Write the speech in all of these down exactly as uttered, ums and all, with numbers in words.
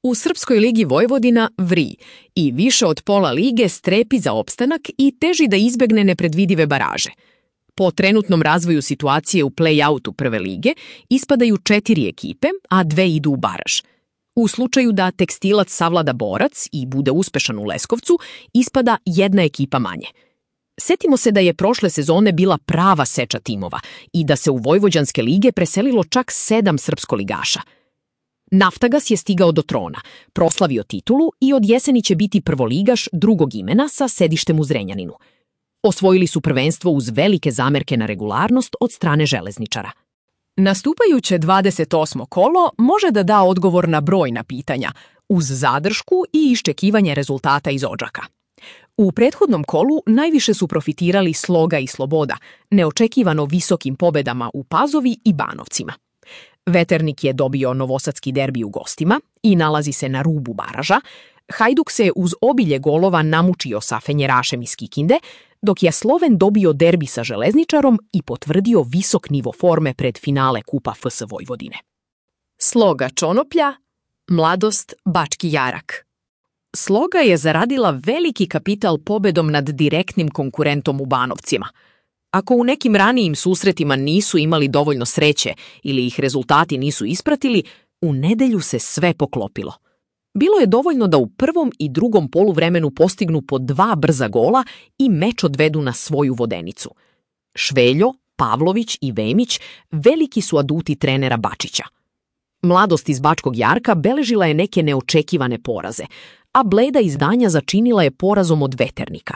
U Srpskoj ligi Vojvodina vri i više od pola lige strepi za opstanak i teži da izbegne nepredvidive baraže. Po trenutnom razvoju situacije u play-outu prve lige ispadaju četiri ekipe, a dve idu u baraž. U slučaju da Tekstilac savlada Borac i bude uspešan u Leskovcu, ispada jedna ekipa manje. Setimo se da je prošle sezone bila prava seča timova i da se u vojvođanske lige preselilo čak sedam srpskoligaša. Naftagas je stigao do trona, proslavio titulu i od jeseni će biti prvoligaš drugog imena sa sedištem u Zrenjaninu. Osvojili su prvenstvo uz velike zamerke na regularnost od strane železničara. Nastupajuće dvadeset osmo kolo može da da odgovor na brojna pitanja, uz zadršku i iščekivanje rezultata iz Odžaka. U prethodnom kolu najviše su profitirali Sloga i Sloboda, neočekivano visokim pobedama u Pazovi i Banovcima. Veternik je dobio novosadski derbi u gostima i nalazi se na rubu baraža. Hajduk se uz obilje golova namučio sa Fenjerašem iz Kikinde, dok je Sloven dobio derbi sa Železničarom i potvrdio visok nivo forme pred finale Kupa F S Vojvodine. Sloga Čonoplja, Mladost Bački Jarak. Sloga je zaradila veliki kapital pobedom nad direktnim konkurentom u Banovcima. Ako u nekim ranijim susretima nisu imali dovoljno sreće ili ih rezultati nisu ispratili, u nedelju se sve poklopilo. Bilo je dovoljno da u prvom i drugom poluvremenu postignu po dva brza gola i meč odvedu na svoju vodenicu. Šveljo, Pavlović i Vemić veliki su aduti trenera Bačića. Mladost iz Bačkog Jarka beležila je neke neočekivane poraze, a bleda izdanja začinila je porazom od Veternika.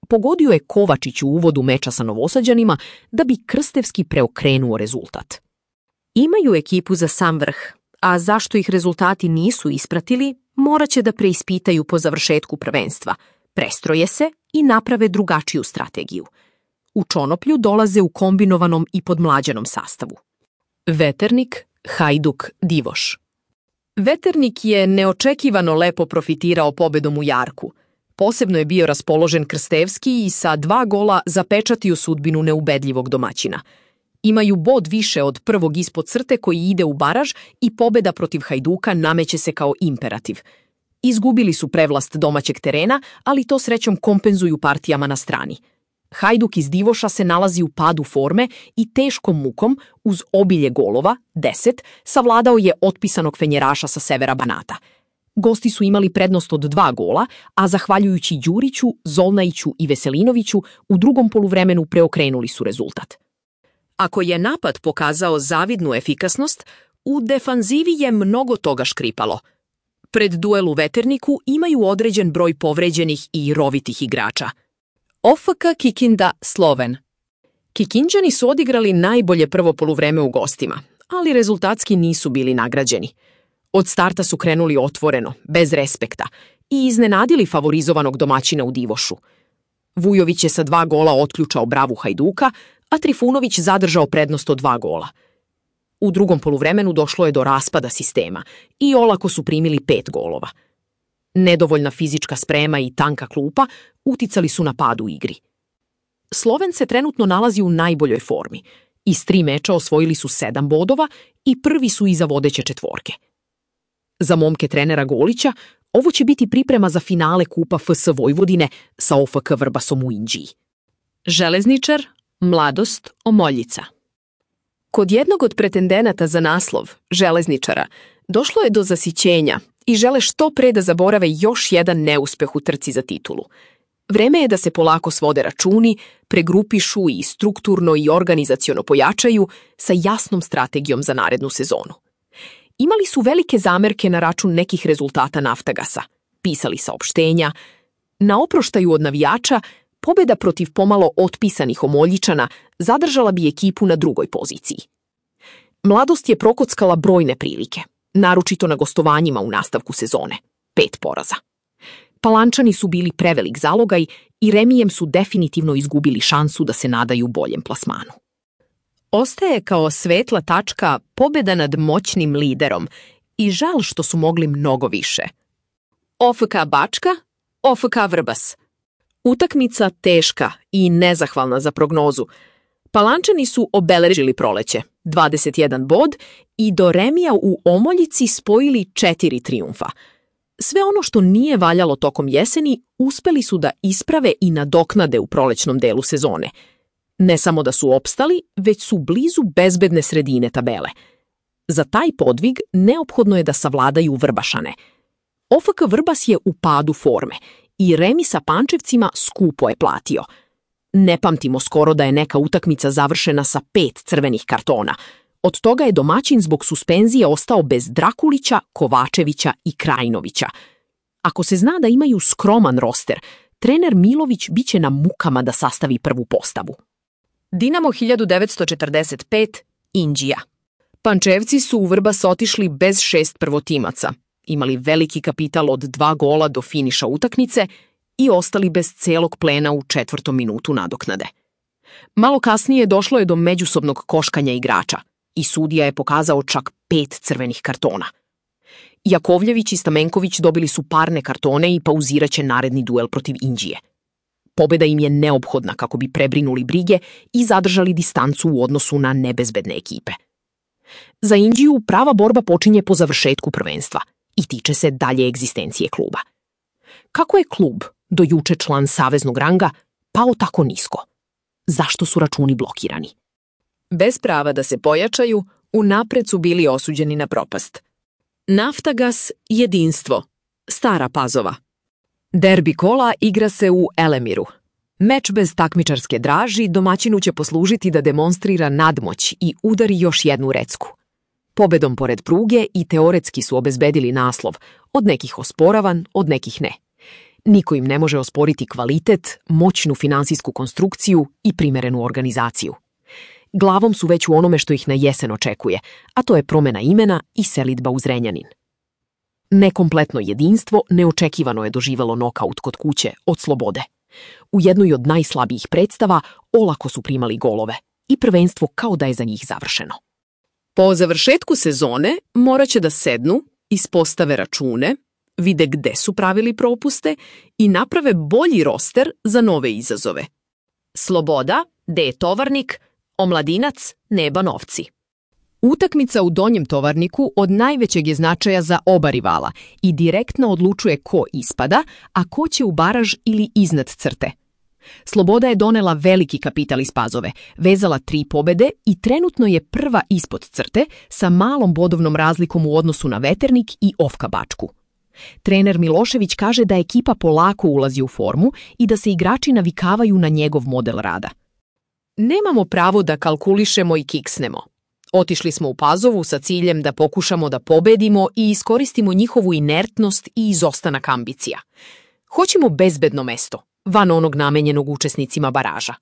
Pogodio je Kovačić u uvodu meča sa Novosađanima da bi Krstevski preokrenuo rezultat. Imaju ekipu za sam vrh, a zašto ih rezultati nisu ispratili, morat će da preispitaju po završetku prvenstva, prestroje se i naprave drugačiju strategiju. U Čonoplju dolaze u kombinovanom i podmlađenom sastavu. Veternik, Hajduk, Divoš. Veternik je neočekivano lepo profitirao pobedom u Jarku. Posebno je bio raspoložen Krstevski i sa dva gola zapečatio sudbinu neubedljivog domaćina. Imaju bod više od prvog ispod crte koji ide u baraž i pobeda protiv Hajduka nameće se kao imperativ. Izgubili su prevlast domaćeg terena, ali to srećom kompenzuju partijama na strani. Hajduk iz Divoša se nalazi u padu forme i teškom mukom, uz obilje golova, deset, savladao je otpisanog Fenjeraša sa severa Banata. Gosti su imali prednost od dva gola, a zahvaljujući Đuriću, Zolnajiću i Veselinoviću u drugom poluvremenu preokrenuli su rezultat. Ako je napad pokazao zavidnu efikasnost, u defanzivi je mnogo toga škripalo. Pred duel u Veterniku imaju određen broj povređenih i rovitih igrača. O F K Kikinda Sloven. Kikinđani su odigrali najbolje prvo poluvreme u gostima, ali rezultatski nisu bili nagrađeni. Od starta su krenuli otvoreno, bez respekta, i iznenadili favorizovanog domaćina u Divošu. Vujović je sa dva gola otključao bravu Hajduka, a Trifunović zadržao prednost od dva gola. U drugom poluvremenu došlo je do raspada sistema i olako su primili pet golova. Nedovoljna fizička sprema i tanka klupa uticali su na pad u igri. Sloven se trenutno nalazi u najboljoj formi. Iz tri meča osvojili su sedam bodova i prvi su iza vodeće četvorke. Za momke trenera Golića ovo će biti priprema za finale Kupa F S Vojvodine sa O F K Vrbasom u Inđiji. Železničar, Mladost, Omoljica. Kod jednog od pretendenata za naslov, Železničara, došlo je do zasićenja i žele što pre da zaborave još jedan neuspeh u trci za titulu. Vreme je da se polako svode računi, pregrupišu i strukturno i organizaciono pojačaju sa jasnom strategijom za narednu sezonu. Imali su velike zamerke na račun nekih rezultata Naftagasa, pisali saopštenja. Na oproštaju od navijača, pobeda protiv pomalo otpisanih Omoljičana zadržala bi ekipu na drugoj poziciji. Mladost je prokockala brojne prilike, naročito na gostovanjima u nastavku sezone, pet poraza. Palančani su bili prevelik zalogaj i remijem su definitivno izgubili šansu da se nadaju boljem plasmanu. Ostaje kao svetla tačka pobeda nad moćnim liderom i žal što su mogli mnogo više. O F K Bačka, O F K Vrbas. Utakmica teška i nezahvalna za prognozu. Palančani su obeležili proleće, dvadeset jedan bod, i do remija u Omoljici spojili četiri trijumfa. Sve ono što nije valjalo tokom jeseni uspeli su da isprave i nadoknade u prolećnom delu sezone. Ne samo da su opstali, već su blizu bezbedne sredine tabele. Za taj podvig neophodno je da savladaju Vrbašane. O F K Vrbas je u padu forme i remi sa Pančevcima skupo je platio. Ne pamtimo skoro da je neka utakmica završena sa pet crvenih kartona. Od toga je domaćin zbog suspenzije ostao bez Drakulića, Kovačevića i Krajinovića. Ako se zna da imaju skroman roster, trener Milović biće na mukama da sastavi prvu postavu. Dinamo hiljadu devetsto četrdeset pet, Inđija. Pančevci su u Vrbas otišli bez šest prvotimaca, imali veliki kapital od dva gola do finiša utakmice i ostali bez celog plena u četvrtom minutu nadoknade. Malo kasnije došlo je do međusobnog koškanja igrača i sudija je pokazao čak pet crvenih kartona. Jakovljević i Stamenković dobili su parne kartone i pauziraće naredni duel protiv Inđije. Pobeda im je neophodna kako bi prebrinuli brige i zadržali distancu u odnosu na nebezbedne ekipe. Za Inđiju prava borba počinje po završetku prvenstva i tiče se dalje egzistencije kluba. Kako je klub, do juče član saveznog ranga, pao tako nisko? Zašto su računi blokirani? Bez prava da se pojačaju, unapred su bili osuđeni na propast. Naftagas, Jedinstvo, Stara Pazova. Derbi kola igra se u Elemiru. Meč bez takmičarske draži domaćinu će poslužiti da demonstrira nadmoć i udari još jednu recku. Pobedom pored pruge i teoretski su obezbedili naslov, od nekih osporavan, od nekih ne. Niko im ne može osporiti kvalitet, moćnu finansijsku konstrukciju i primerenu organizaciju. Glavom su već u onome što ih na jesen očekuje, a to je promena imena i selidba u Zrenjanin. Nekompletno Jedinstvo neočekivano je doživelo nokaut kod kuće od Slobode. U jednoj od najslabijih predstava olako su primali golove i prvenstvo kao da je za njih završeno. Po završetku sezone morat će da sednu, ispostave račune, vide gde su pravili propuste i naprave bolji roster za nove izazove. Sloboda, D je Tovarnik, Omladinac, Neba Novci. Utakmica u Donjem Tovarniku od najvećeg je značaja za oba rivala i direktno odlučuje ko ispada, a ko će u baraž ili iznad crte. Sloboda je donela veliki kapital iz Pazove, vezala tri pobede i trenutno je prva ispod crte sa malom bodovnom razlikom u odnosu na Veternik i O F K Bačku. Trener Milošević kaže da ekipa polako ulazi u formu i da se igrači navikavaju na njegov model rada. Nemamo pravo da kalkulišemo i kiksnemo. Otišli smo u Pazovu sa ciljem da pokušamo da pobedimo i iskoristimo njihovu inertnost i izostanak ambicija. Hoćemo bezbedno mesto, van onog namenjenog učesnicima baraža.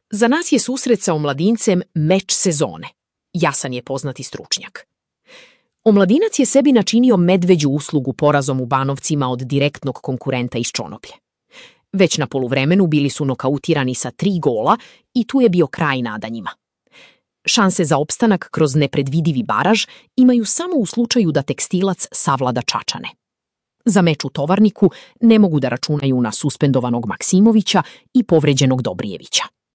Za nas je susret sa Omladincem meč sezone. Jasan je poznati stručnjak. Omladinac je sebi načinio medveđu uslugu porazom u Banovcima od direktnog konkurenta iz Čonoplje. Već na poluvremenu bili su nokautirani sa tri gola i tu je bio kraj nadanjima. Šanse za opstanak kroz nepredvidivi baraž imaju samo u slučaju da Tekstilac savlada Čačane. Za meč u Tovarniku ne mogu da računaju na suspendovanog Maksimovića i povređenog Dobrijevića.